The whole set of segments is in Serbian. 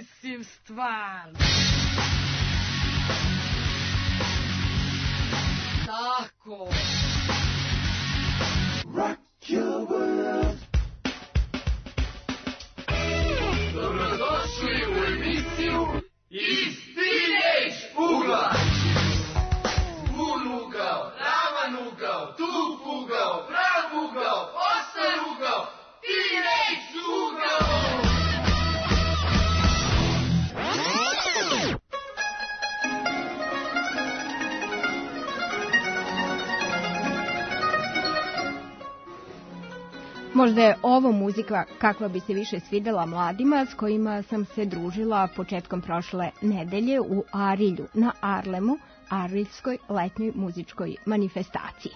mislim stvarno. Tako. Rock your world. Dobrodošli u emisiju Iz Teenage ugla. Pun ugao, ravan ugao, tup ugao, prav ugao, ostar ugao, Teenage ugao. Možda je ovo muzika kakva bi se više svidela mladima s kojima sam se družila početkom prošle nedelje u Arilju na Arlemu, Ariljskoj letnjoj muzičkoj manifestaciji.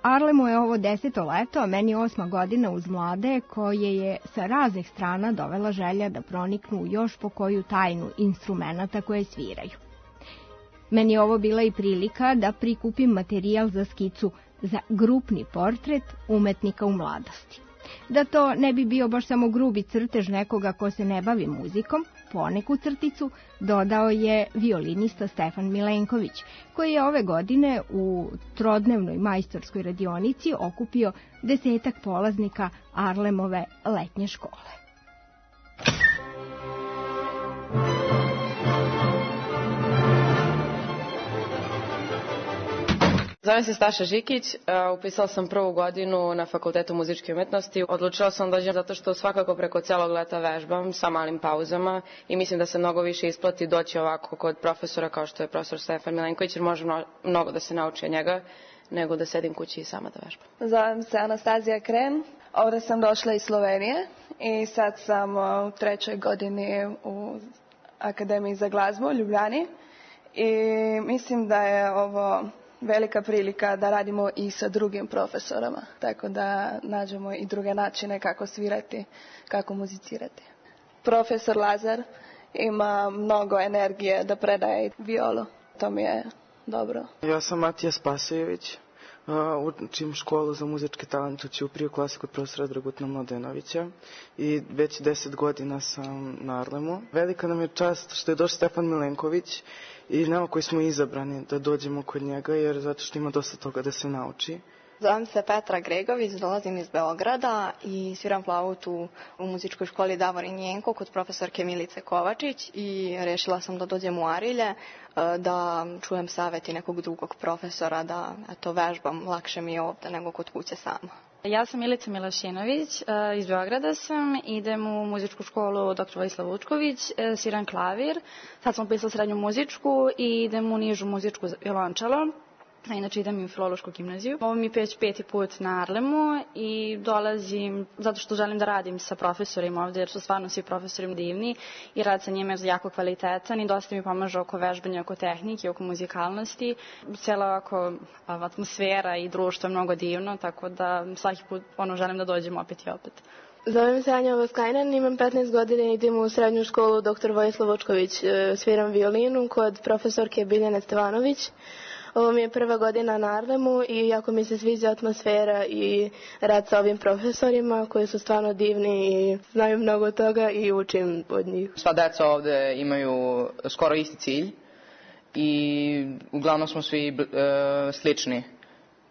Arlemu je ovo 10. leto, a meni 8. godina uz mlade koje je sa raznih strana dovela želja da proniknu u još po koju tajnu instrumenata koje sviraju. Meni je ovo bila i prilika da prikupim materijal za skicu za grupni portret umetnika u mladosti. Da to ne bi bio baš samo grubi crtež nekoga ko se ne bavi muzikom, poneku crticu dodao je violinista Stefan Milenković, koji je ove godine u trodnevnoj majstorskoj radionici okupio 10 polaznika Arlemove letnje škole. Zovem se Staša Žikić, upisala sam prvu godinu na Fakultetu muzičke umetnosti. Odlučila sam da dođem zato što svakako preko celog leta vežbam sa malim pauzama i mislim da se mnogo više isplati doći ovako kod profesora kao što je profesor Stefan Milenković, jer može mnogo da se nauči od njega nego da sedim kući i sama da vežbam. Zovem se Anastazija Kren, ovdje sam došla iz Slovenije i sad sam u 3. godini u Akademiji za glazbu u Ljubljani i mislim da je ovo velika prilika da radimo i sa drugim profesorama, tako da nađemo i druge načine kako svirati, kako muzicirati. Profesor Lazar ima mnogo energije da predaje violu, to mi je dobro. Ja sam Matija Spasojević, učim školu za muzički talent u Ćupriji u klasi kod profesora Dragutna Mladenovića i već 10 godina sam na Arlemu. Velika nam je čast što je došao Stefan Milenković i nama koji smo izabrani da dođemo kod njega, jer zato što ima dosta toga da se nauči. Zovem se Petra Gregović, dolazim iz Beograda i sviram flautu u muzičkoj školi Davorin Jenko kod profesorke Milice Kovačić i rešila sam da dođem u Arilje, da čujem saveti nekog drugog profesora, da vežbam, lakše mi je ovde nego kod kuće sama. Ja sam Milica Milašinović, iz Beograda sam, idem u muzičku školu dr. Vojislav Vučković, sviram klavir, sad sam upisala srednju muzičku i idem u nižu muzičku violončelo. Inače idem u Filološku gimnaziju. Ovo mi je već 5. put na Arlemu i dolazim zato što želim da radim sa profesorima ovde, jer su stvarno svi profesori divni i rad sa njima je jako kvalitetan i dosta mi pomaže oko vežbanja, oko tehnike, oko muzikalnosti. Cijela atmosfera i društvo je mnogo divno, tako da svaki put želim da dođem opet i opet. Zovem se Anja Voskajnen, imam 15 godina i idem u srednju školu dr. Vojislav Vučković. Sviram violinu kod profesorke Biljane Stevanović. Ovo mi je prva godina na Arlemu i jako mi se sviđa atmosfera i rad sa ovim profesorima koji su stvarno divni i znaju mnogo toga i učim od njih. Sva deca ovde imaju skoro isti cilj i uglavnom smo svi slični.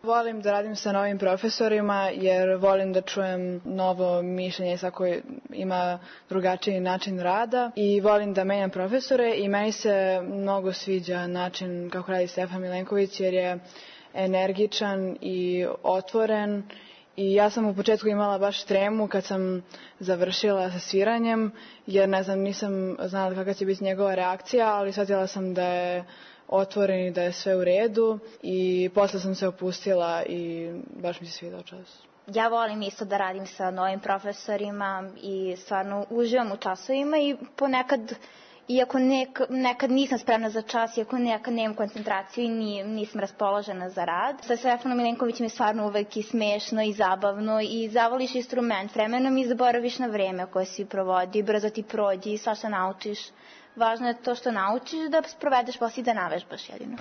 Volim da radim sa novim profesorima jer volim da čujem novo mišljenje, svako ima drugačiji način rada i volim da menjam profesore i meni se mnogo sviđa način kako radi Stefan Milenković jer je energičan i otvoren i ja sam u početku imala baš tremu kad sam završila sa sviranjem jer nisam znala kakva će biti njegova reakcija, ali shvatila sam da je otvoren i da je sve u redu i posle sam se opustila i baš mi se svidao čas. Ja volim isto da radim sa novim profesorima i stvarno uživam u časovima i ponekad, iako nekad nisam spremna za čas, iako nekad nemam koncentraciju i nisam raspoložena za rad. Sa Stefanom Milenkovićem je stvarno uvek i smešno i zabavno i zavoliš instrument, vremenom i zaboraviš na vreme koje si provodi, brzo ti prođi i svašta naučiš. Važno je to što naučiš da provedeš posle i da navežbaš jedino.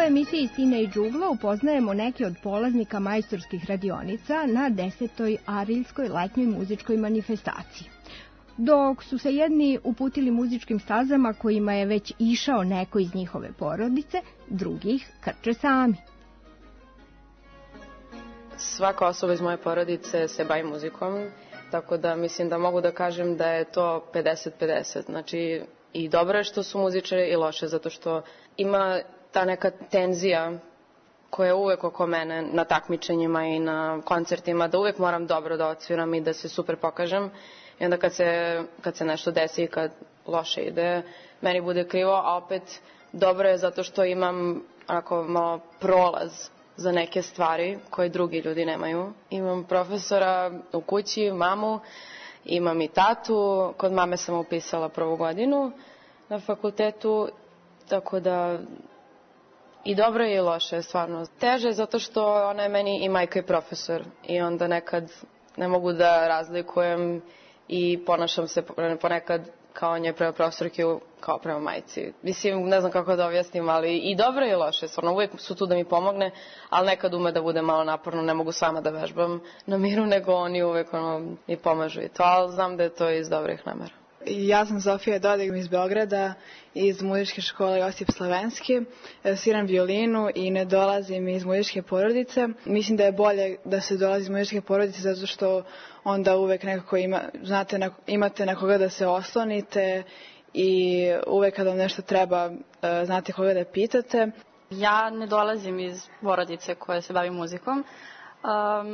emisiji Teenage Ugla upoznajemo neke od polaznika majstorskih radionica na 10. Ariljskoj letnjoj muzičkoj manifestaciji. Dok su se jedni uputili muzičkim stazama kojima je već išao neko iz njihove porodice, drugih krče sami. Svaka osoba iz moje porodice se bavi muzikom, tako da mislim da mogu da kažem da je to 50-50. Znači, i dobro je što su muzičari i loše, zato što ima ta neka tenzija koja je uvek oko mene na takmičenjima i na koncertima, da uvek moram dobro da odsviram i da se super pokažem. I onda kad se nešto desi i kad loše ide, meni bude krivo, a opet dobro je zato što imam onako malo prolaz za neke stvari koje drugi ljudi nemaju. Imam profesora u kući, mamu, imam i tatu. Kod mame sam upisala prvu godinu na fakultetu, tako da i dobro je i loše, stvarno. Teže je zato što ona je meni i majka i profesor i onda nekad ne mogu da razlikujem i ponašam se ponekad kao nje prema profesorki, kao prema majci. Mislim, ne znam kako da objasnim, ali i dobro je i loše. Stvarno, uvijek su tu da mi pomogne, ali nekad ume da bude malo naporno, ne mogu sama da vežbam na miru, nego oni uvijek mi pomažu i to, ali znam da je to iz dobrih namera. Ja sam Sofija Dodig iz Beograda, iz muzičke škole Josip Slavenski. Sviram violinu i ne dolazim iz muzičke porodice. Mislim da je bolje da se dolazi iz muzičke porodice zato što onda uvek nekako imate na koga da se oslonite i uvek kada vam nešto treba znate koga da pitate. Ja ne dolazim iz porodice koja se bavi muzikom,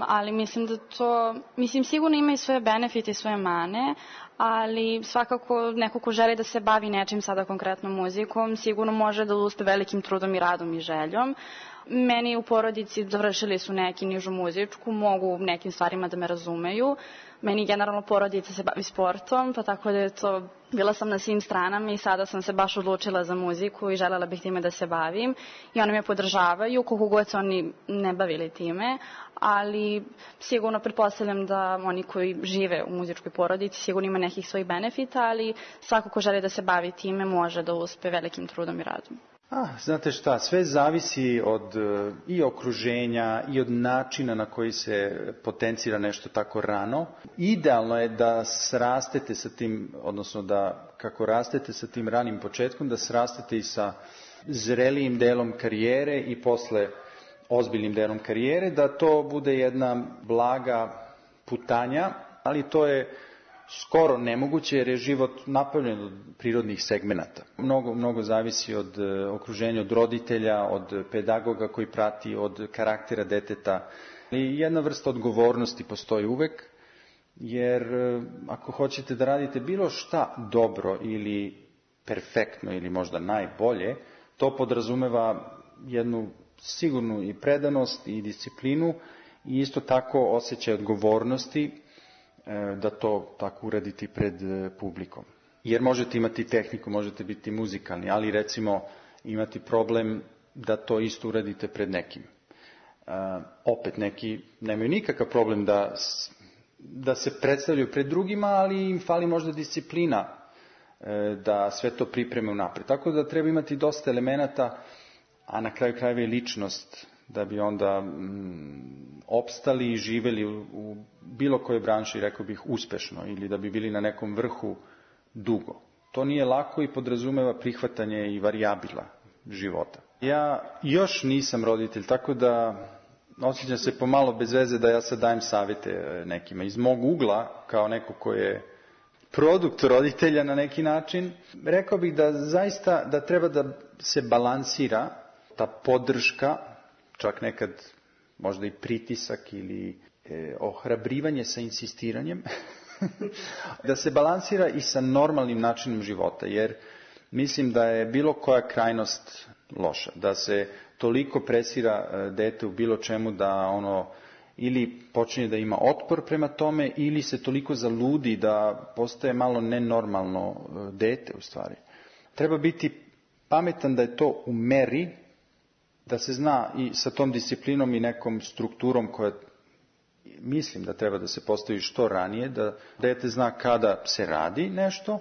ali mislim da to, sigurno ima i svoje benefite i svoje mane, ali svakako neko ko želi da se bavi nečim, sada konkretno muzikom, sigurno može da uspe velikim trudom i radom i željom. Meni u porodici završili su neki nižu muzičku, mogu nekim stvarima da me razumeju. Meni generalno porodica se bavi sportom, pa tako da je to, bila sam na svim stranama i sada sam se baš odlučila za muziku i želela bih time da se bavim. I oni me podržavaju, koliko god se oni ne bavili time, ali sigurno pretpostavljam da oni koji žive u muzičkoj porodici sigurno ima nekih svojih benefita, ali svako ko želi da se bavi time može da uspe velikim trudom i radom. Znate šta, sve zavisi od i okruženja i od načina na koji se potencira nešto tako rano. Idealno je da srastete sa tim, odnosno da kako rastete sa tim ranim početkom, da srastete i sa zrelijim delom karijere i posle ozbiljnim delom karijere, da to bude jedna blaga putanja, ali to je skoro nemoguće jer je život napravljen od prirodnih segmenata. Mnogo zavisi od okruženja, od roditelja, od pedagoga koji prati, od karaktera deteta. I jedna vrsta odgovornosti postoji uvek, jer ako hoćete da radite bilo šta dobro ili perfektno ili možda najbolje, to podrazumeva jednu sigurnu i predanost i disciplinu i isto tako osjećaj odgovornosti da to tako uraditi pred publikom. Jer možete imati tehniku, možete biti muzikalni, ali recimo imati problem da to isto uradite pred nekim. Opet neki nemaju nikakav problem da se predstavljaju pred drugima, ali im fali možda disciplina da sve to pripreme unapred. Tako da treba imati dosta elemenata, a na kraju krajeva i ličnost da bi onda opstali i živeli u bilo kojoj branši, rekao bih, uspešno ili da bi bili na nekom vrhu dugo. To nije lako i podrazumeva prihvatanje i varijabila života. Ja još nisam roditelj, tako da osjećam se pomalo bez veze da ja sad dajem savjete nekima. Iz mog ugla, kao neko ko je produkt roditelja na neki način, rekao bih da zaista da treba da se balansira ta podrška, čak nekad možda i pritisak ili ohrabrivanje sa insistiranjem, da se balansira i sa normalnim načinom života, jer mislim da je bilo koja krajnost loša, da se toliko presira dete u bilo čemu da ono ili počinje da ima otpor prema tome ili se toliko zaludi da postaje malo nenormalno dete u stvari. Treba biti pametan da je to u meri, da se zna i sa tom disciplinom i nekom strukturom koja mislim da treba da se postavi što ranije, da dete zna kada se radi nešto,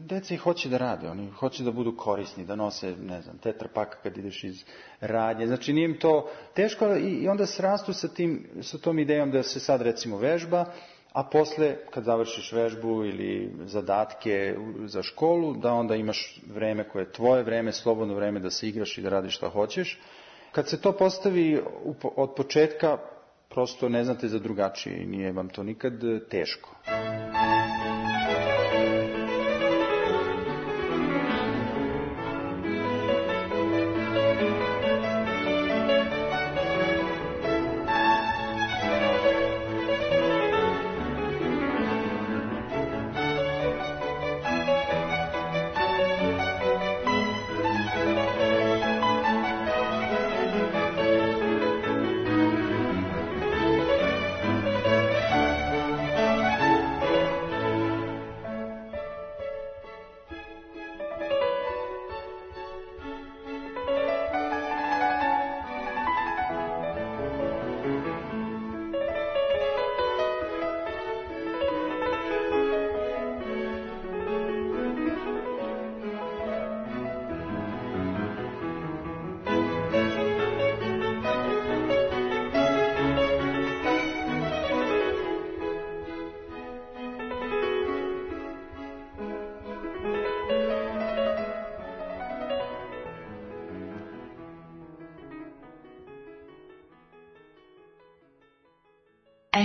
Deca i hoće da rade, oni hoće da budu korisni, da nose, ne znam, tetrapak kad ideš iz radnje. Znači nije im to teško i onda srastu sa tom idejom da se sad recimo vežba, a posle kad završiš vežbu ili zadatke za školu, da onda imaš vreme koje je tvoje vreme, slobodno vreme da se igraš i da radiš šta hoćeš. Kad se to postavi od početka, prosto ne znate za drugačije i nije vam to nikad teško.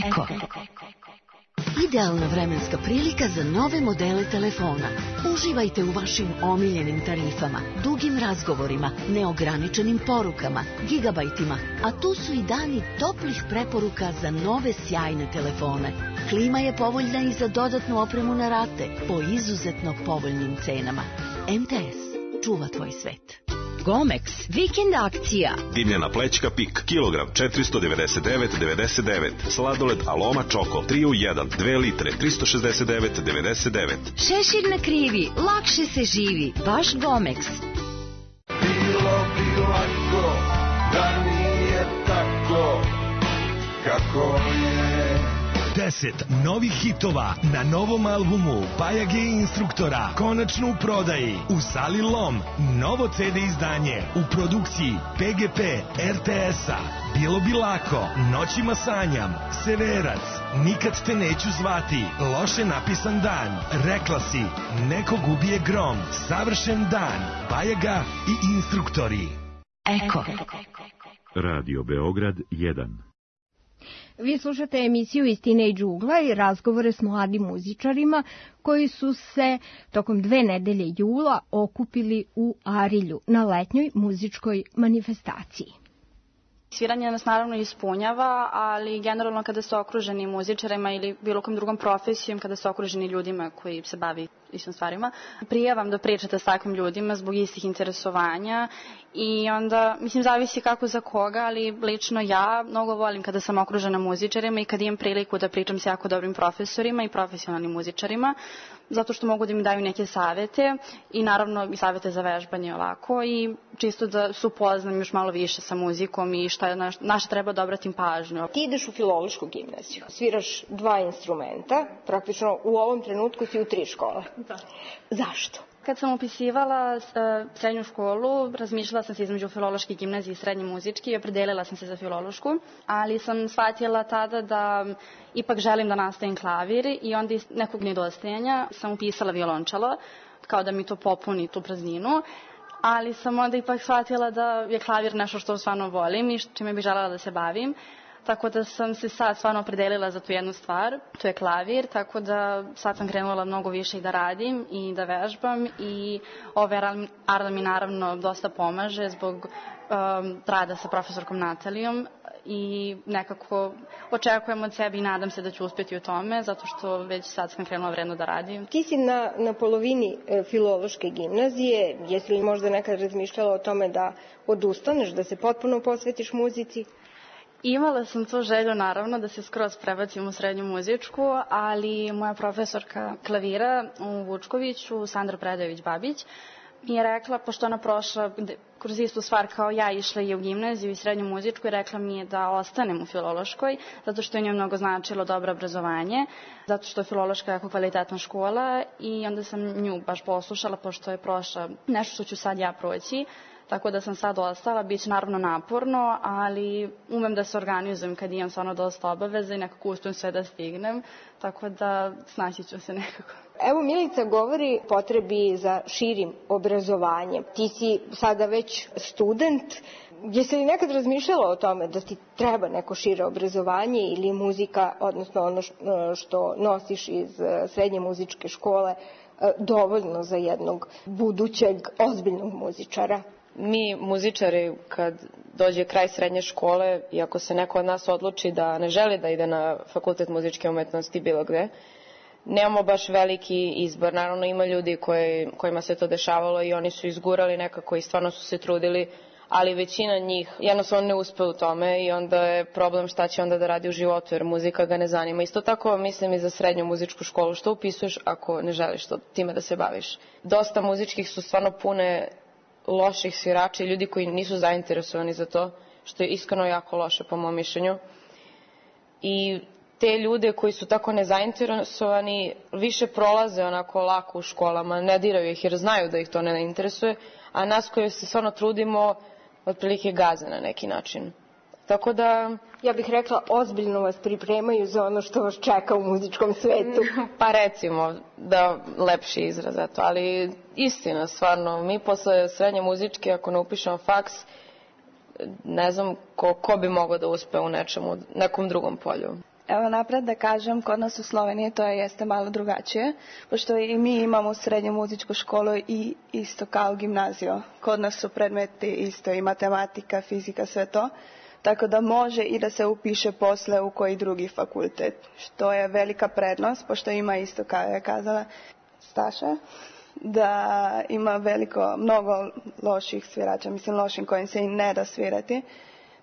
Eko. Idealna vremenska prilika za nove modele telefona. Uživajte u vašim omiljenim tarifama, dugim razgovorima, neograničenim porukama, gigabajtima, a tu su i dani toplih preporuka za nove sjajne telefone. Klima je povoljna i za dodatnu opremu na rate po izuzetno povoljnim cenama. MTS. Čuva tvoj svet. Gomex, vikend akcija. Dimljena plećka Pik, kilogram 499,99. Sladoled Aloma Čoko, 3 u 1, 2 litre, 369,99. Šešir na krivi, lakše se živi, baš Gomex. Bilo bi lako, da nije tako, kako je. 10 novih hitova na novom albumu Bajage instruktora konačno u prodaji u sali Lom. Novo CD izdanje u produkciji PGP RTS-a. Bilo bi lako, Noćima sanjam, Severac, Nikad te neću zvati, Loše napisan dan, Rekla si, Nekog ubije grom, Savršen dan, Bajaga i instruktori. Eko. Radio Beograd 1. Vi slušate emisiju iz Teenage ugla i razgovore s mladim muzičarima koji su se tokom 2 nedelje jula okupili u Arilju na letnjoj muzičkoj manifestaciji. Sviranje nas naravno ispunjava, ali generalno kada ste okruženi muzičarima ili bilo kom drugom profesijom, kada ste okruženi ljudima koji se bavi istim stvarima, prije vam da pričate s takvim ljudima zbog istih interesovanja i onda, mislim, zavisi kako za koga, ali lično ja mnogo volim kada sam okružena muzičarima i kada imam priliku da pričam s jako dobrim profesorima i profesionalnim muzičarima, zato što mogu da mi daju neke savete i naravno i savete za vežbanje ovako i čisto da se upoznam još malo više sa muzikom i na šta treba da obratim pažnju. Ti ideš u filološku gimnaziju, sviraš 2 instrumenta, praktično u ovom trenutku si u 3 škole. Da. Zašto? Kad sam upisivala srednju školu, razmišljala sam se između filološke gimnazije i srednje muzičke i opredelila sam se za filološku, ali sam shvatila tada da ipak želim da nastavim klavir i onda iz nekog nedostajanja sam upisala violončelo, kao da mi to popuni tu prazninu, ali sam onda ipak shvatila da je klavir nešto što stvarno volim i čime bih želela da se bavim. Tako da sam se sad stvarno opredelila za tu jednu stvar, to je klavir, tako da sad sam krenula mnogo više i da radim i da vežbam i Arla mi naravno dosta pomaže zbog rada sa profesorkom Natalijom i nekako očekujem od sebe i nadam se da ću uspjeti u tome, zato što već sad sam krenula vredno da radim. Ti si na polovini filološke gimnazije, jesi li možda nekad razmišljala o tome da odustaneš, da se potpuno posvetiš muzici? Imala sam tu želju, naravno, da se skroz prebacim u srednju muzičku, ali moja profesorka klavira u Vučkoviću, Sandra Predojević-Babić, mi je rekla, pošto ona prošla kroz istu stvar kao ja, išla je u gimnaziju i srednju muzičku i rekla mi je da ostanem u Filološkoj, zato što je njoj mnogo značilo dobro obrazovanje, zato što je Filološka jako kvalitetna škola i onda sam nju baš poslušala, pošto je prošla nešto što ću sad ja proći. Tako da sam sad ostala, bit će naravno naporno, ali umem da se organizujem kad imam stvarno dosta obaveza i nekako uspijem sve da stignem, tako da snaći ću se nekako. Evo Milica govori o potrebi za širim obrazovanjem. Ti si sada već student. Jesi li nekad razmišljala o tome da ti treba neko šire obrazovanje ili muzika, odnosno ono što nosiš iz srednje muzičke škole, dovoljno za jednog budućeg ozbiljnog muzičara? Mi muzičari, kad dođe kraj srednje škole i ako se neko od nas odluči da ne želi da ide na fakultet muzičke umetnosti bilo gde, nemamo baš veliki izbor. Naravno ima ljudi kojima se to dešavalo i oni su izgurali nekako i stvarno su se trudili, ali većina njih jednostavno ne uspe u tome i onda je problem šta će onda da radi u životu jer muzika ga ne zanima. Isto tako mislim i za srednju muzičku školu, što upisuješ ako ne želiš time da se baviš. Dosta muzičkih su stvarno pune loših svirača i ljudi koji nisu zainteresovani za to, što je iskreno jako loše po mom mišljenju. I te ljude koji su tako nezainteresovani više prolaze onako lako u školama, ne diraju ih jer znaju da ih to ne interesuje, a nas koji se stvarno trudimo otprilike gaze na neki način. Tako da... Ja bih rekla, ozbiljno vas pripremaju za ono što vas čeka u muzičkom svetu. Pa recimo, da lepši izraz, eto, ali istina, stvarno, mi posle srednje muzičke, ako ne upišemo faks, ne znam ko bi mogao da uspe u nekom drugom polju. Evo napred da kažem, kod nas u Sloveniji to jeste malo drugačije, pošto i mi imamo srednju muzičku školu i isto kao gimnaziju. Kod nas su predmeti isto i matematika, fizika, sve to. Tako da može i da se upiše posle u koji drugi fakultet, što je velika prednost, pošto ima isto, kao je kazala Staša, da ima mnogo loših svirača, mislim lošim kojim se i ne da svirati,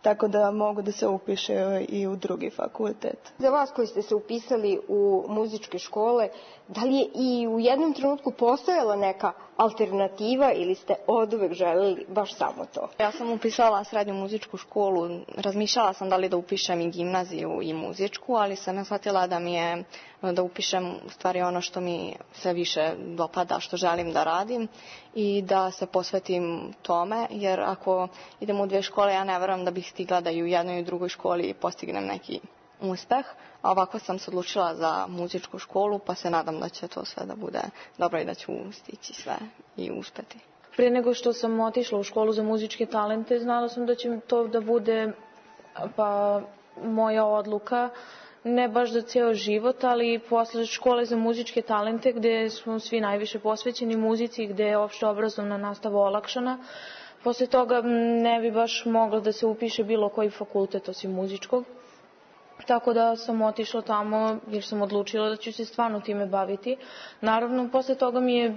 tako da mogu da se upiše i u drugi fakultet. Za vas koji ste se upisali u muzičke škole, da li je i u jednom trenutku postojala neka alternativa ili ste oduvek želeli baš samo to? Ja sam upisala srednju muzičku školu, razmišljala sam da li da upišem i gimnaziju i muzičku, ali sam shvatila da mi je da upišem u stvari ono što mi sve više dopada, što želim da radim i da se posvetim tome, jer ako idem u dve škole, ja ne verujem da bih stigla da i u jednoj i u drugoj školi postignem neki uspeh, a ovako sam se odlučila za muzičku školu, pa se nadam da će to sve da bude dobro i da ću stići sve i uspeti. Prije nego što sam otišla u školu za muzičke talente, znala sam da će to da bude moja odluka, ne baš za ceo život, ali posle škole za muzičke talente gde smo svi najviše posvećeni muzici, gde je opšte obrazovna nastava olakšana, posle toga ne bi baš mogla da se upiše bilo koji fakultet osim muzičkog. Tako da sam otišla tamo jer sam odlučila da ću se stvarno time baviti. Naravno, posle toga mi je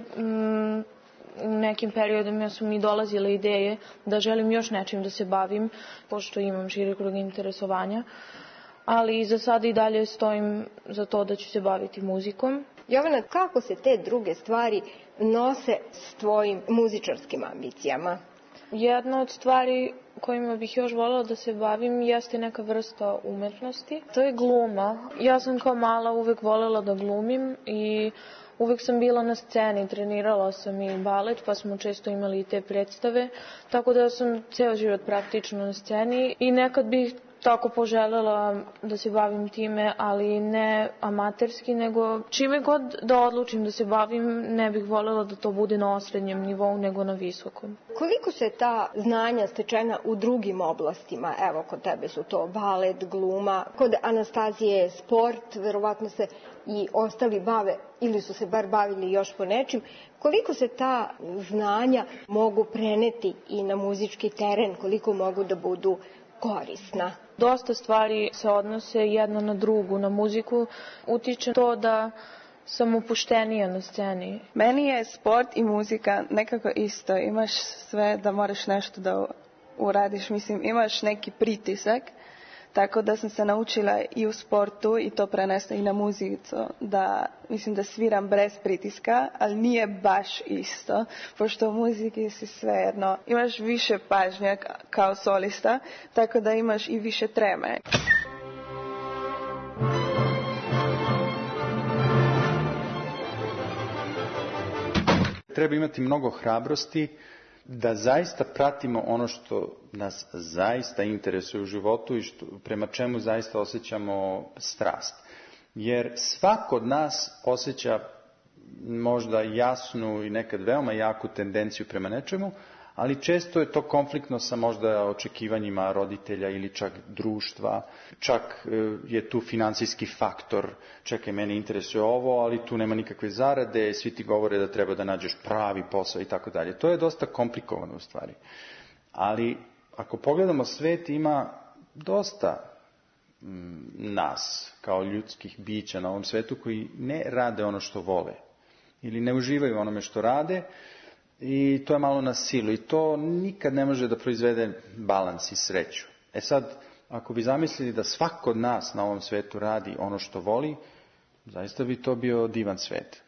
u nekim periodima su mi dolazile ideje da želim još nečim da se bavim, pošto imam širi krug interesovanja, ali za sad i dalje stojim za to da ću se baviti muzikom. Jovana, kako se te druge stvari nose s tvojim muzičarskim ambicijama? Jedna od stvari kojima bih još voljela da se bavim jeste neka vrsta umetnosti. To je gluma. Ja sam kao mala uvek voljela da glumim i uvek sam bila na sceni. Trenirala sam i balet, pa smo često imali i te predstave. Tako da sam ceo život praktično na sceni i nekad bih tako poželjela da se bavim time, ali ne amaterski, nego čime god da odlučim da se bavim, ne bih voljela da to bude na osrednjem nivou, nego na visokom. Koliko se ta znanja stečena u drugim oblastima, evo kod tebe su to balet, gluma, kod Anastazije sport, verovatno se i ostali bave ili su se bar bavili još po nečim, koliko se ta znanja mogu preneti i na muzički teren, koliko mogu da budu korisna? Dosta stvari se odnose jedna na drugu, na muziku. Utiče to da sam opuštenija na sceni. Meni je sport i muzika nekako isto. Imaš sve da moraš nešto da uradiš. Mislim, imaš neki pritisak. tako da sam se naučila i u sportu i to prenesta i na muziku, da mislim da sviram bez pritiska, ali nije baš isto, pošto u muziki si svejedno, imaš više pažnje kao solista, tako da imaš i više treme. Treba imati mnogo hrabrosti da zaista pratimo ono što nas zaista interesuje u životu i prema čemu zaista osjećamo strast. Jer svako od nas osjeća možda jasnu i nekad veoma jaku tendenciju prema nečemu, ali često je to konfliktno sa možda očekivanjima roditelja ili čak društva, čak je tu finansijski faktor, čekaj, mene interesuje ovo, ali tu nema nikakve zarade, svi ti govore da treba da nađeš pravi posao i tako dalje. To je dosta komplikovano u stvari. Ali ako pogledamo svet, ima dosta nas kao ljudskih bića na ovom svetu koji ne rade ono što vole ili ne uživaju onome što rade, i to je malo na silu i to nikad ne može da proizvede balans i sreću. Sad, ako bi zamislili da svako od nas na ovom svetu radi ono što voli, zaista bi to bio divan svet.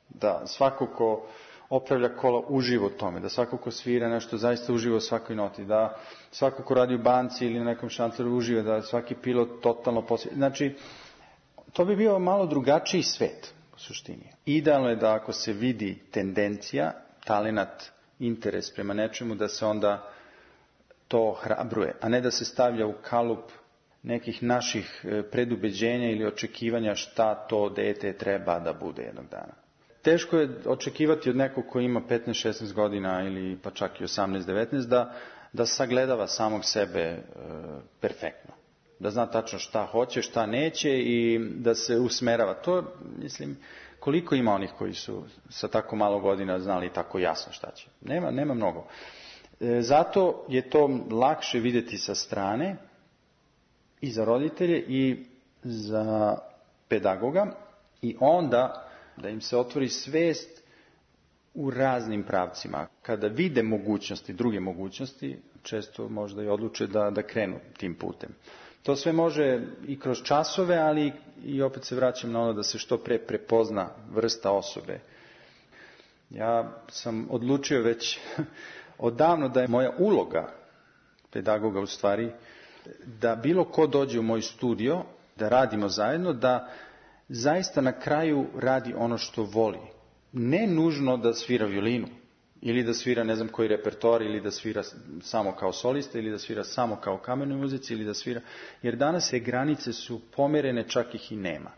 Da svako ko opravlja kola uživa u tome, da svako ko svira nešto zaista uživa u svakoj noti, da svako ko radi u banci ili na nekom šanceru uživa, da svaki pilot totalno posvijeti. Znači, to bi bio malo drugačiji svet u suštini. Idealno je da ako se vidi tendencija, talenat, interes prema nečemu, da se onda to hrabruje, a ne da se stavlja u kalup nekih naših predubeđenja ili očekivanja šta to dete treba da bude jednog dana. Teško je očekivati od nekog koji ima 15-16 godina ili pa čak i 18-19 da sagledava samog sebe perfektno. Da zna tačno šta hoće, šta neće i da se usmerava. To, mislim, koliko ima onih koji su sa tako malo godina znali tako jasno šta će? Nema mnogo. Zato je to lakše vidjeti sa strane i za roditelje i za pedagoga i onda da im se otvori svest u raznim pravcima. Kada vide mogućnosti, druge mogućnosti, često možda i odluče da krenu tim putem. To sve može i kroz časove, ali i opet se vraćam na ono da se što pre prepozna vrsta osobe. Ja sam odlučio već odavno da je moja uloga pedagoga u stvari da bilo ko dođe u moj studio, da radimo zajedno, da zaista na kraju radi ono što voli. Ne nužno da svira violinu ili da svira ne znam koji repertoar ili da svira samo kao solista ili da svira samo kao kamernoj muzici ili da svira, jer danas te granice su pomerene, čak ih i nema.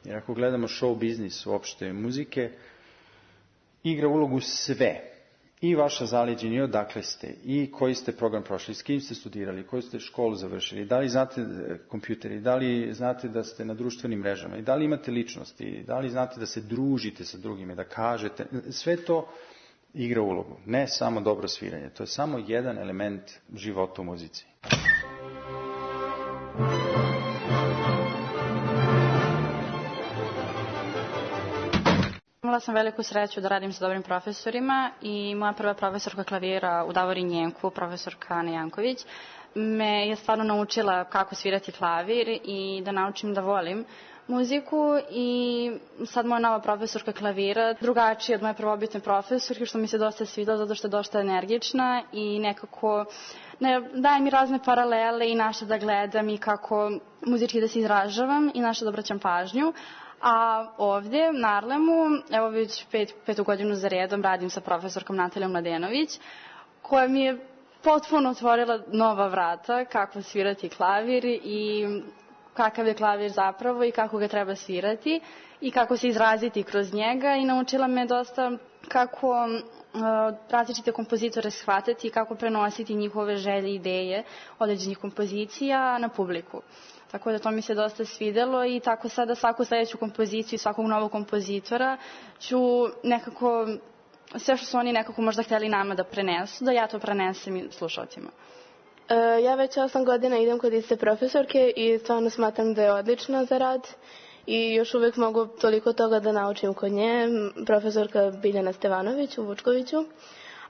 Jer ako gledamo show biznis uopšte muzike, igra ulogu sve. I vaša zaleđenja, i odakle ste, i koji ste program prošli, s kim ste studirali, koju ste školu završili, da li znate kompjuteri, da li znate da ste na društvenim mrežama, i da li imate ličnosti, da li znate da se družite sa drugime, da kažete, sve to igra ulogu, ne samo dobro sviranje. To je samo jedan element života u muzici. Imala sam veliku sreću da radim sa dobrim profesorima i moja prva profesorka klavira u Davorin Njenku, profesorka Ana Janković, me je stvarno naučila kako svirati klavir i da naučim da volim muziku i sad moja nova profesorka klavira drugačija od moje prvobitne profesorke, što mi se dosta svidalo zato što je dosta energična i nekako daje mi razne paralele i na što da gledam i kako muzički da se izražavam i na što da obraćam pažnju. A ovdje, na Arlemu, evo već petu godinu za redom radim sa profesorkom Natalijom Mladenović, koja mi je potpuno otvorila nova vrata kako svirati klavir i kakav je klavir zapravo i kako ga treba svirati i kako se izraziti kroz njega i naučila me dosta kako različite kompozitore shvatiti i kako prenositi njihove želje i ideje određenih kompozicija na publiku. Tako da to mi se dosta svidelo i tako sada svaku sljedeću kompoziciju i svakog novog kompozitora ću nekako, sve što su oni nekako možda htjeli nama da prenesu, da ja to prenesem i slušalcima. Ja već 8 godina idem kod iste profesorke i stvarno smatram da je odlična za rad i još uvijek mogu toliko toga da naučim kod nje, profesorka Biljana Stevanović u Vučkoviću.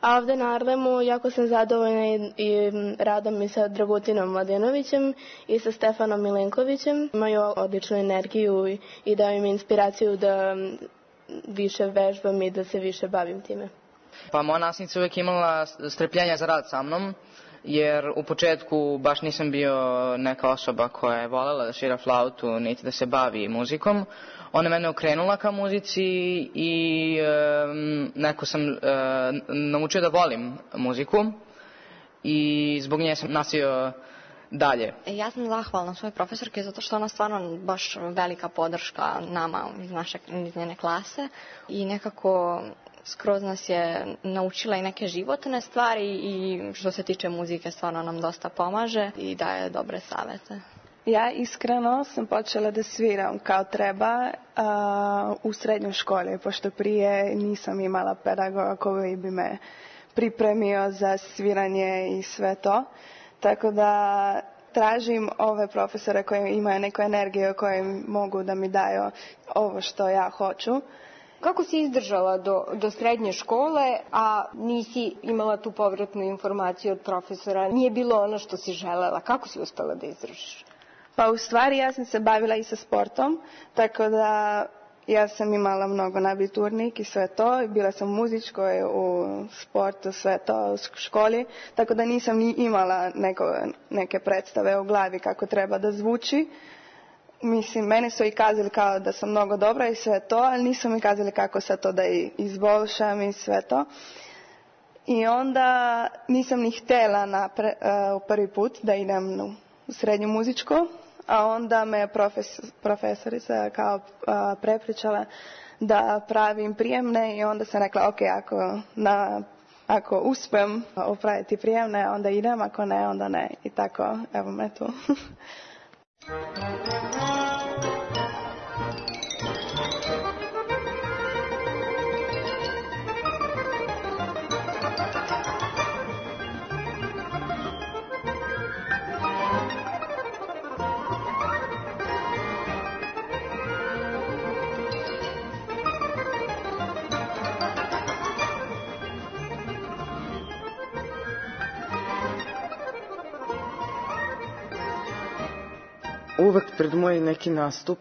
A ovde na Arlemu jako sam zadovoljna i radom i sa Dragutinom Mladenovićem i sa Stefanom Milenkovićem. Imaju odličnu energiju i daju mi inspiraciju da više vežbam i da se više bavim time. Pa moja nastavnica uvijek imala strpljenja za rad sa mnom, jer u početku baš nisam bio neka osoba koja je voljela da svira flautu niti da se bavi muzikom. Ona mene okrenula ka muzici i neko sam naučio da volim muziku i zbog nje sam nastavio dalje. Ja sam zahvalna svojoj profesorke zato što ona stvarno baš velika podrška nama iz njene klase i nekako skroz nas je naučila i neke životne stvari i što se tiče muzike stvarno nam dosta pomaže i daje dobre savete. Ja iskreno sam počela da sviram kao treba u srednjoj školi, pošto prije nisam imala pedagoga koji bi me pripremio za sviranje i sve to. Tako da tražim ove profesore koji imaju neku energiju, koji mogu da mi daju ovo što ja hoću. Kako si izdržala do srednje škole, a nisi imala tu povratnu informaciju od profesora? Nije bilo ono što si želela. Kako si uspela da izdržiš? Pa u stvari ja sam se bavila i sa sportom, tako da ja sam imala mnogo nabiturnik i sve to. Bila sam u muzičkoj, u sportu, sve to, u školi, tako da nisam ni imala neke predstave u glavi kako treba da zvuči. Mislim, mene su i kazali kao da sam mnogo dobra i sve to, ali nisu mi kazali kako sad to da izbolšam i sve to. I onda nisam ni htjela u prvi put da idem u srednju muzičku, a onda me profesorica kao prepričala da pravim prijemne i onda sam rekla ok, ako uspem opraviti prijemne, onda idem, ako ne, onda ne. I tako, evo me tu. Uvek pred moj neki nastup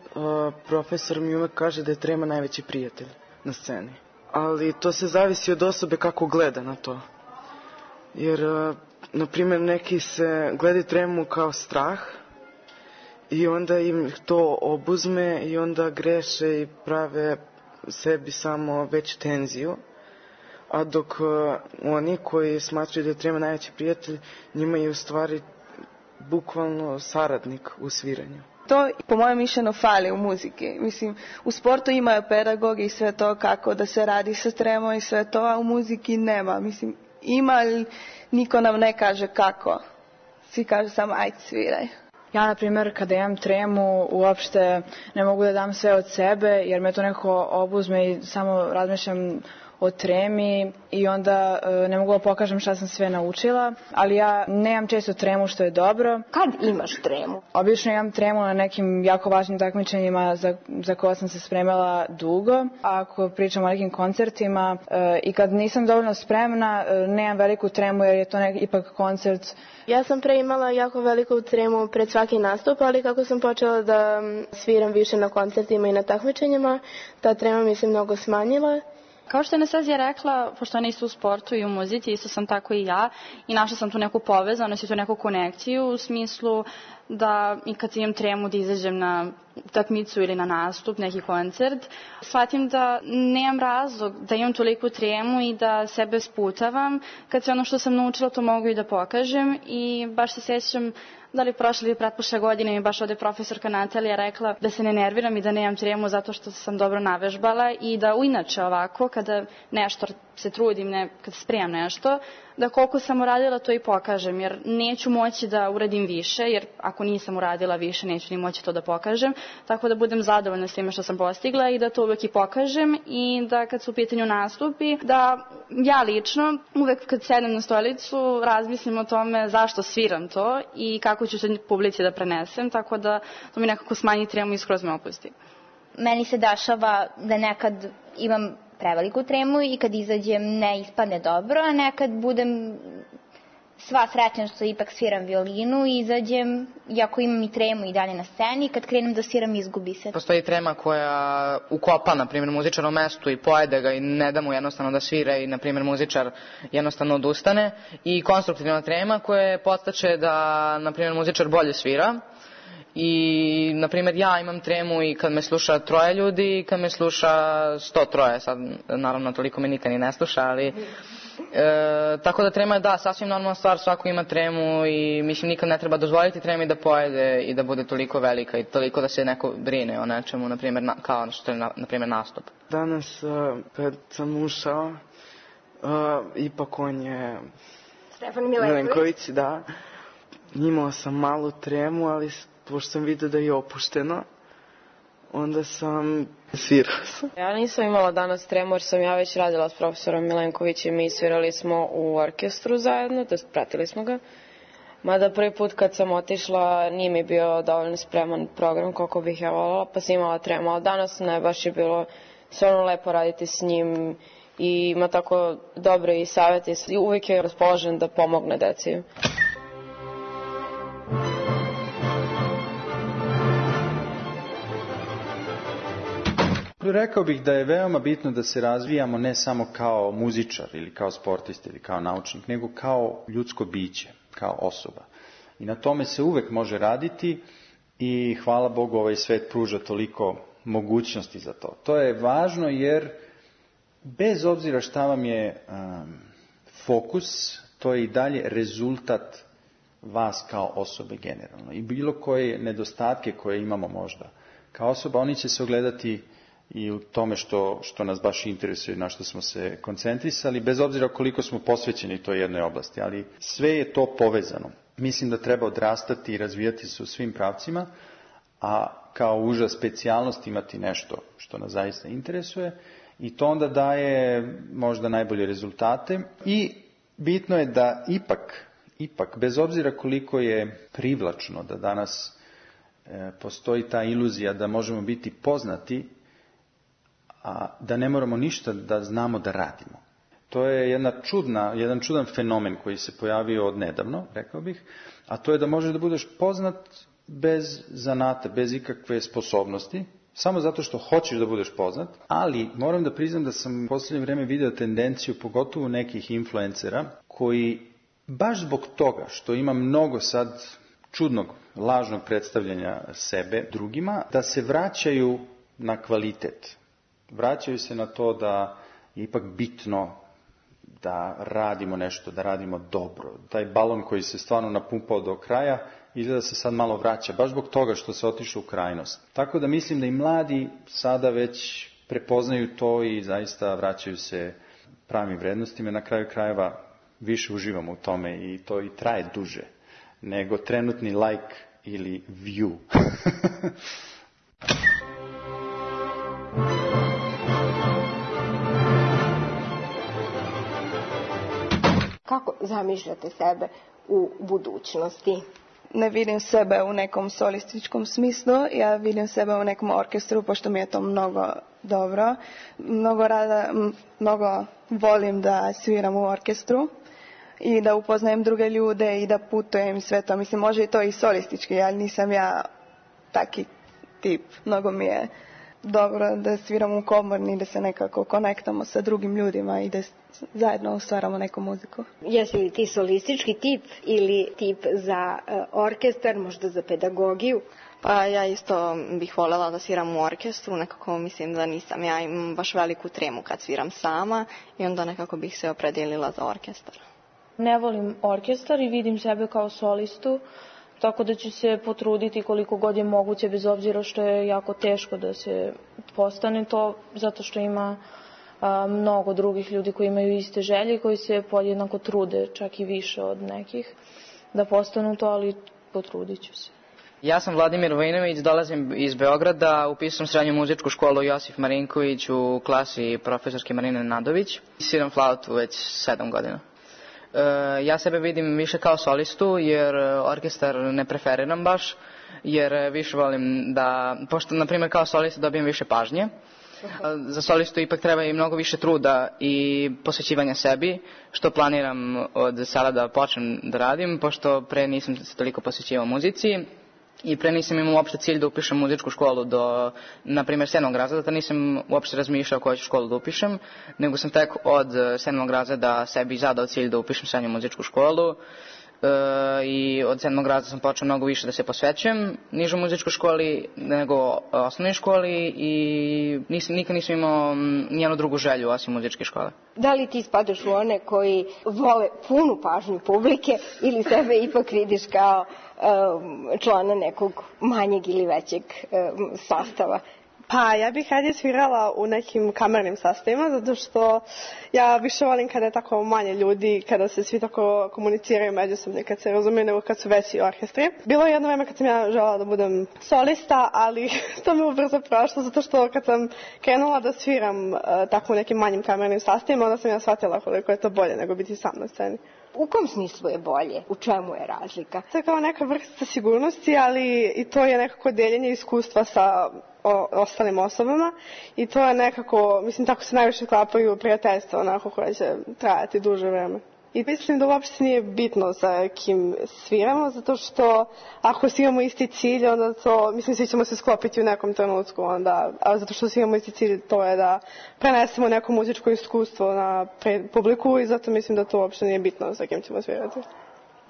profesor mi uvek kaže da je trema najveći prijatelj na sceni. Ali to se zavisi od osobe kako gleda na to. Jer, na primjer, neki se gledaju tremu kao strah i onda im to obuzme i onda greše i prave sebi samo veću tenziju. A dok oni koji smatraju da je trema najveći prijatelj, njima je u stvari bukvalno saradnik u sviranju. To, po mojem mišljenju, fali u muziki. Mislim, u sportu imaju pedagogi i sve to kako da se radi sa tremom i sve to, a u muziki nema. Mislim, ima, ali niko nam ne kaže kako. Svi kažu samo ajde sviraj. Ja, na primjer, kada imam tremu, uopšte ne mogu da dam sve od sebe, jer me to nekako obuzme i samo razmišljam o tremi i onda ne mogu da pokažem šta sam sve naučila, ali ja nemam često tremu, što je dobro. Kad imaš tremu? Obično imam tremu na nekim jako važnim takmičenjima za koje sam se spremala dugo. Ako pričam o nekim koncertima i kad nisam dovoljno spremna, nemam veliku tremu jer je to ipak koncert. Ja sam pre imala jako veliku tremu pred svaki nastup, ali kako sam počela da sviram više na koncertima i na takmičenjima, ta trema mi se mnogo smanjila. Kao što je Anastazija rekla, pošto ona isto u sportu i u muzici, isto sam tako i ja i našla sam tu neku povezanost i tu neku konekciju u smislu da i kad imam tremu da izađem na takmicu ili na nastup, neki koncert, shvatim da nemam razlog da imam toliku tremu i da sebe sputavam, kad sve ono što sam naučila to mogu i da pokažem i baš se sjećam da li prošle ili pretprošle godine mi baš ovde profesorka Natalija rekla da se ne nerviram i da nemam tremu zato što sam dobro navežbala i da inače ovako kada nešto se trudim, kada spremam nešto, da koliko sam uradila to i pokažem, jer neću moći da uradim više, jer ako nisam uradila više neću ni moći to da pokažem, tako da budem zadovoljna s time što sam postigla i da to uvek i pokažem i da kad su u pitanju nastupi, da ja lično uvek kad sedem na stolicu razmislim o tome zašto sviram to i kako ću se publici da prenesem, tako da to mi nekako smanji tremu i skroz me opusti. Meni se dešava da nekad imam preveliku tremu i kad izađem ne ispadne dobro, a nekad budem sva srećna što ipak sviram violinu i izađem, iako imam i tremu i dalje na sceni, kad krenem da sviram izgubi se. Postoji trema koja ukopa, na primjer, muzičar u mestu i pojede ga i ne da mu jednostavno da svira i, na primjer, muzičar jednostavno odustane, i konstruktivna trema koja podstače da, na primjer, muzičar bolje svira. I, na primjer, ja imam tremu i kad me sluša 3 ljudi i kad me sluša 103, sad naravno toliko me nikad ni ne sluša, ali tako da trema je, da, sasvim normalna stvar, svako ima tremu i mislim nikad ne treba dozvoliti tremi da pojede i da bude toliko velika i toliko da se neko brine o nečemu, na primjer, kao što je, na primjer, nastup. Danas kad sam ušao, ipak on je Stefan Milenković, da, imao sam malu tremu, ali pošto sam vidio da je opušteno, onda sam svirao. Ja nisam imala danas tremu jer sam ja već radila s profesorom Milenkovićem i svirali smo u orkestru zajedno, to jest pratili smo ga. Mada prvi put kad sam otišla nije mi bio dovoljno spreman program koliko bih ja voljela, pa sam imala tremu, ali danas ne, baš je bilo stvarno lepo raditi s njim i ima tako dobre i savjeti i uvijek je raspoložen da pomogne deci. Rekao bih da je veoma bitno da se razvijamo ne samo kao muzičar ili kao sportist ili kao naučnik, nego kao ljudsko biće, kao osoba. I na tome se uvek može raditi i hvala Bogu ovaj svet pruža toliko mogućnosti za to. To je važno jer bez obzira šta vam je fokus, to je i dalje rezultat vas kao osobe generalno. I bilo koje nedostatke koje imamo možda kao osoba, oni će se ogledati i u tome što nas baš interesuje, na što smo se koncentrisali, bez obzira koliko smo posvećeni toj jednoj oblasti, ali sve je to povezano. Mislim da treba odrastati i razvijati se u svim pravcima, a kao uža specijalnost imati nešto što nas zaista interesuje i to onda daje možda najbolje rezultate i bitno je da ipak, bez obzira koliko je privlačno da danas postoji ta iluzija da možemo biti poznati, a da ne moramo ništa da znamo da radimo. To je jedan čudan fenomen koji se pojavio odnedavno, rekao bih, a to je da možeš da budeš poznat bez zanata, bez ikakve sposobnosti, samo zato što hoćeš da budeš poznat, ali moram da priznam da sam u posljednje vrijeme video tendenciju, pogotovo nekih influencera, koji baš zbog toga što ima mnogo sad čudnog, lažnog predstavljanja sebe drugima, da se vraćaju na kvalitet. Vraćaju se na to da je ipak bitno da radimo nešto, da radimo dobro. Taj balon koji se stvarno napumpao do kraja, izgleda se sad malo vraća, baš zbog toga što se otišao u krajnost. Tako da mislim da i mladi sada već prepoznaju to i zaista vraćaju se pravim vrednostima. Na kraju krajeva više uživamo u tome i to i traje duže nego trenutni like ili view. Kako zamišljate sebe u budućnosti? Ne vidim sebe u nekom solističkom smislu, ja vidim sebe u nekom orkestru, pošto mi je to mnogo dobro. Mnogo volim da sviram u orkestru i da upoznajem druge ljude i da putujem i sve to. Mislim, može i to i solistički, ali nisam ja taki tip. Mnogo mi je dobro da sviram u komorni, da se nekako konektamo sa drugim ljudima i da zajedno stvaramo neku muziku. Jesi li ti solistički tip ili tip za orkestar, možda za pedagogiju? Pa ja isto bih voljela da sviram u orkestru, nekako mislim da nisam. Ja imam baš veliku tremu kad sviram sama i onda nekako bih se opredijelila za orkestar. Ne volim orkestar i vidim sebe kao solistu, tako da ću se potruditi koliko god je moguće, bez obzira što je jako teško da se postane to, zato što ima mnogo drugih ljudi koji imaju iste želje i koji se podjednako trude, čak i više od nekih, da postanu to, ali potrudit ću se. Ja sam Vladimir Vojinović, dolazim iz Beograda, upisao sam srednju muzičku školu Josif Marinković u klasi profesorke Marine Nadović. Sviram flautu već 7 godina. Ja sebe vidim više kao solistu, jer orkestar ne preferiram baš, jer više volim da, pošto na primjer kao solista dobijem više pažnje, Za solistu ipak treba i mnogo više truda i posvećivanja sebi, što planiram od sada da počnem da radim, pošto pre nisam se toliko posvećivao muzici. I pre nisam imao uopšte cilj da upišem muzičku školu do, na primjer, 7. razreda, nisam uopšte razmišljao koju ću školu da upišem, nego sam tek od 7. razreda sebi zadao cilj da upišem srednju muzičku školu i od 7. razreda sam počeo mnogo više da se posvećujem nižoj muzičkoj školi nego osnovnoj školi i nikad nisam imao nijednu drugu želju osim muzičke škole. Da li ti spadaš u one koji vole punu pažnju publike ili sebe ipak vidiš kao člana nekog manjeg ili većeg sastava? Pa ja bih radije svirala u nekim kamernim sastavima, zato što ja više volim kada je tako manje ljudi, kada se svi tako komuniciraju međusobno, kad se razumiju, nego kad su veći orkestri. Bilo je jedno vreme kad sam ja želela da budem solista, ali to me ubrzo prošlo, zato što kad sam krenula da sviram tako u nekim manjim kamernim sastavima, onda sam ja shvatila koliko je to bolje nego biti sam na sceni. U kom smislu je bolje? U čemu je razlika? To je kao neka vrsta sigurnosti, ali i to je nekako deljenje iskustva sa ostalim osobama i to je nekako, mislim, tako se najviše klapaju prijateljstva, onako koje će trajati duže vreme. I mislim da uopšte nije bitno za kim sviramo, zato što ako svi imamo isti cilj, onda to, mislim, svi ćemo se sklopiti u nekom trenutku, onda, a zato što svi imamo isti cilj, to je da prenesemo neko muzičko iskustvo na publiku i zato mislim da to uopšte nije bitno za kim ćemo svirati.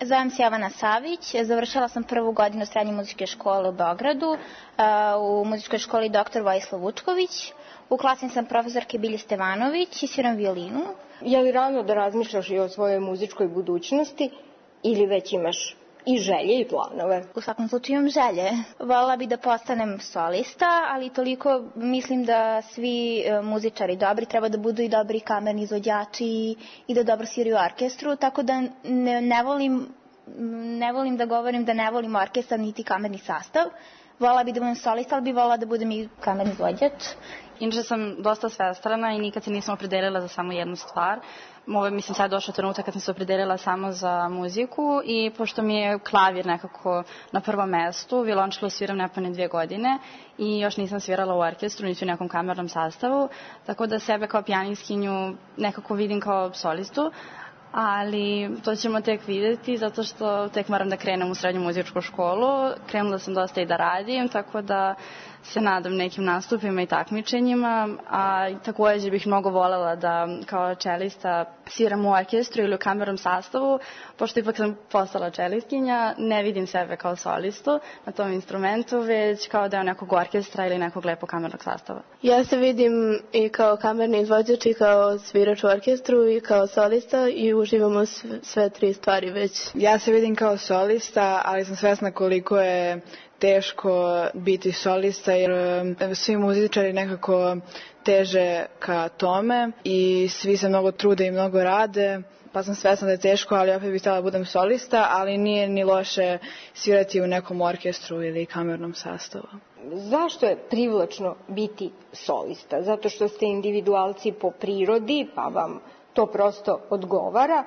Zovem se Jovana Savić, završila sam 1. godinu srednje muzičke škole u Beogradu, u muzičkoj školi dr. Vojislav Vučković. U klasi sam profesorke Bilje Stevanović i sviram violinu. Je li rano da razmišljaš i o svojoj muzičkoj budućnosti ili već imaš i želje i planove? U svakom slučaju imam želje. Voljela bi da postanem solista, ali toliko mislim da svi muzičari dobri treba da budu i dobri kamerni izvođači i da dobro sviraju u orkestru, tako da ne volim da govorim da ne volim orkestar niti kamerni sastav. Voljela bi da budem solista, ali bi voljela da budem i kamerni izvođač. Inače sam dosta svestrana i nikad se nisam opredelila za samo jednu stvar. Mislim, sad je došao trenutak kad sam se opredelila samo za muziku i pošto mi je klavir nekako na prvom mestu, violončelo sviram nepune 2 godine i još nisam svirala u orkestru, niti u nekom kamernom sastavu, tako da sebe kao pijaniskinju nekako vidim kao solistu, ali to ćemo tek vidjeti zato što tek moram da krenem u srednju muzičku školu. Krenula sam dosta i da radim, tako da se nadam nekim nastupima i takmičenjima, a takođe bih mnogo voljela da kao čelista sviram u orkestru ili u kamernom sastavu, pošto ipak sam postala čelistkinja, ne vidim sebe kao solistu na tom instrumentu, već kao deo nekog orkestra ili nekog lepog kamernog sastava. Ja se vidim i kao kamerni izvođač i kao svirač u orkestru i kao solista i uživamo sve 3 stvari već. Ja se vidim kao solista, ali sam svesna koliko je teško biti solista jer svi muzičari nekako teže ka tome i svi se mnogo trude i mnogo rade, pa sam svesna da je teško, ali opet bih htjela da budem solista, ali nije ni loše svirati u nekom orkestru ili kamernom sastavu. Zašto je privlačno biti solista? Zato što ste individualci po prirodi, pa vam to prosto odgovara,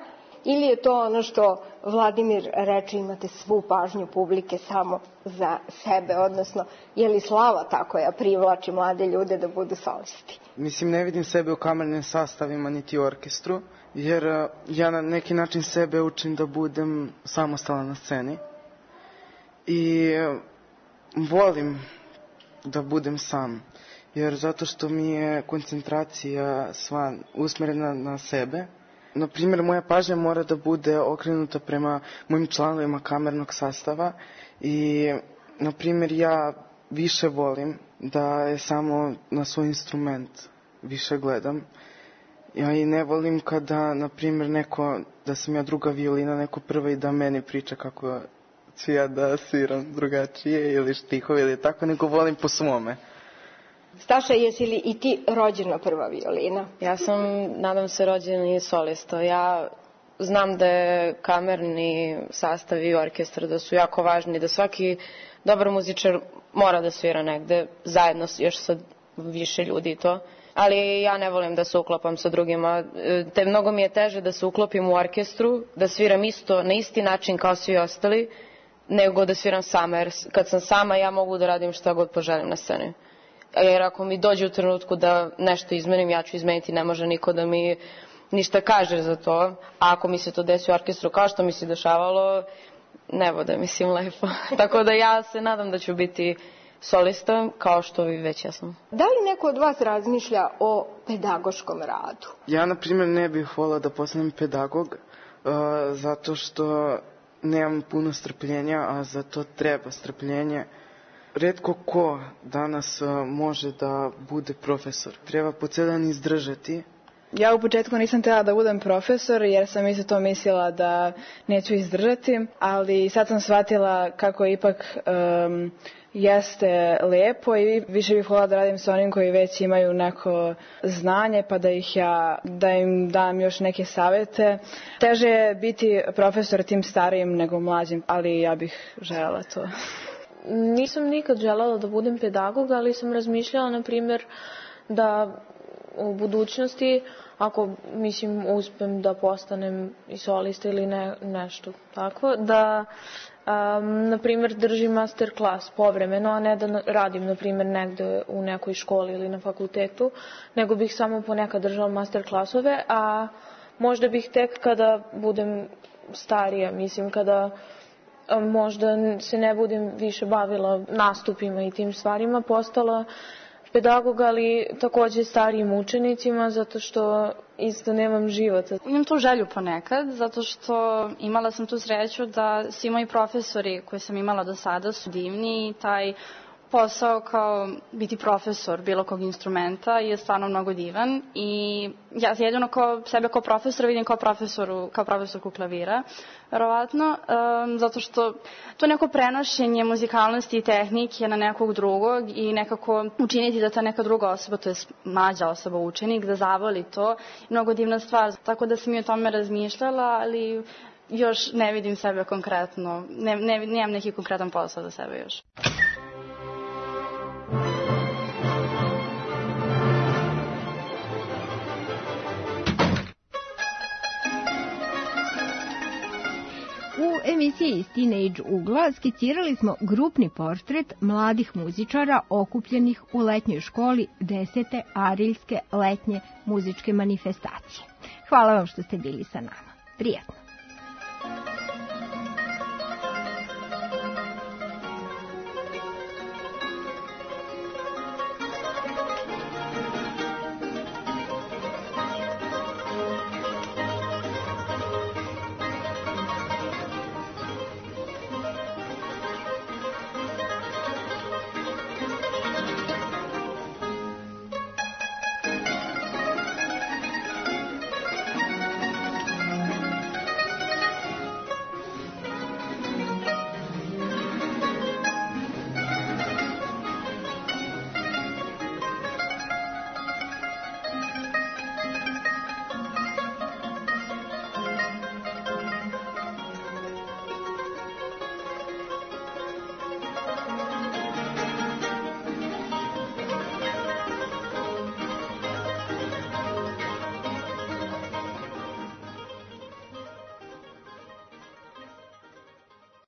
ili je to ono što Vladimir reče, imate svu pažnju publike samo za sebe, odnosno je li slava ta koja privlači mlade ljude da budu solisti? Mislim, ne vidim sebe u kamernim sastavima niti u orkestru, jer ja na neki način sebe učim da budem samostalan na sceni i volim da budem sam, jer zato što mi je koncentracija sva usmerena na sebe. Na primjer, moja pažnja mora da bude okrenuta prema mojim članovima kamernog sastava i, na primjer, ja više volim da je samo na svoj instrument više gledam. Ja i ne volim kada, na primjer, da sam ja druga violina, neko prva i da meni priča kako ću ja da sviram drugačije ili štihove ili tako, nego volim po svome. Staša, jesi li i ti rođena prva violina? Ja sam, nadam se, rođeni solista. Ja znam da je kamerni sastav i orkestar da su jako važni, da svaki dobar muzičar mora da svira negde, zajedno još sa više ljudi i to. Ali ja ne volim da se uklopam sa drugima. Mnogo mi je teže da se uklopim u orkestru, da sviram isto, na isti način kao svi ostali, nego da sviram sama. Jer kad sam sama, ja mogu da radim šta god poželim na sceni. jer ako mi dođe u trenutku da nešto izmenim, ja ću izmeniti, ne može niko da mi ništa kaže za to, a ako mi se to desi u orkestru kao što mi se dešavalo, ne bude, mislim, lepo. Tako da ja se nadam da ću biti solista, kao što vi već jesam. Da li neko od vas razmišlja o pedagoškom radu? Ja, na primjer, ne bih volila da postanem pedagog, zato što nemam puno strpljenja, a za to treba strpljenje. Retko ko danas može da bude profesor. Treba po ceo dan izdržati. Ja u početku nisam htjela da budem profesor jer sam isto to mislila da neću izdržati, ali sad sam shvatila kako ipak jeste lepo i više bih voljela da radim sa onim koji već imaju neko znanje pa da im dam još neke savjete. Teže je biti profesor tim starijim nego mlađim, ali ja bih željela to. Nisam nikad željela da budem pedagog, ali sam razmišljala, na primjer, da u budućnosti, ako uspem da postanem i solista ili nešto tako, da na primjer držim master klas povremeno, a ne da radim na primjer negde u nekoj školi ili na fakultetu, nego bih samo ponekad držala master klasove, a možda bih tek kada budem starija, kada možda se ne budem više bavila nastupima i tim stvarima, postala pedagog, ali takođe starijim učenicima, zato što isto nemam života. Imam tu želju ponekad, zato što imala sam tu sreću da svi moji profesori koje sam imala do sada su divni i taj posao kao biti profesor bilo kog instrumenta je stvarno mnogo divan i ja jedino sebe kao profesora vidim kao profesorku klavira, verovatno, zato što to neko prenošenje muzikalnosti i tehnike na nekog drugog i nekako učiniti da ta neka druga osoba, to je mlađa osoba, učenik, da zavoli to, mnogo divna stvar. Tako da sam i o tome razmišljala, ali još ne vidim sebe konkretno, nemam neki konkretan posao za sebe još. U emisiji iz Teenage ugla skicirali smo grupni portret mladih muzičara okupljenih u letnjoj školi 10. Ariljske letnje muzičke manifestacije. Hvala vam što ste bili sa nama. Prijatno.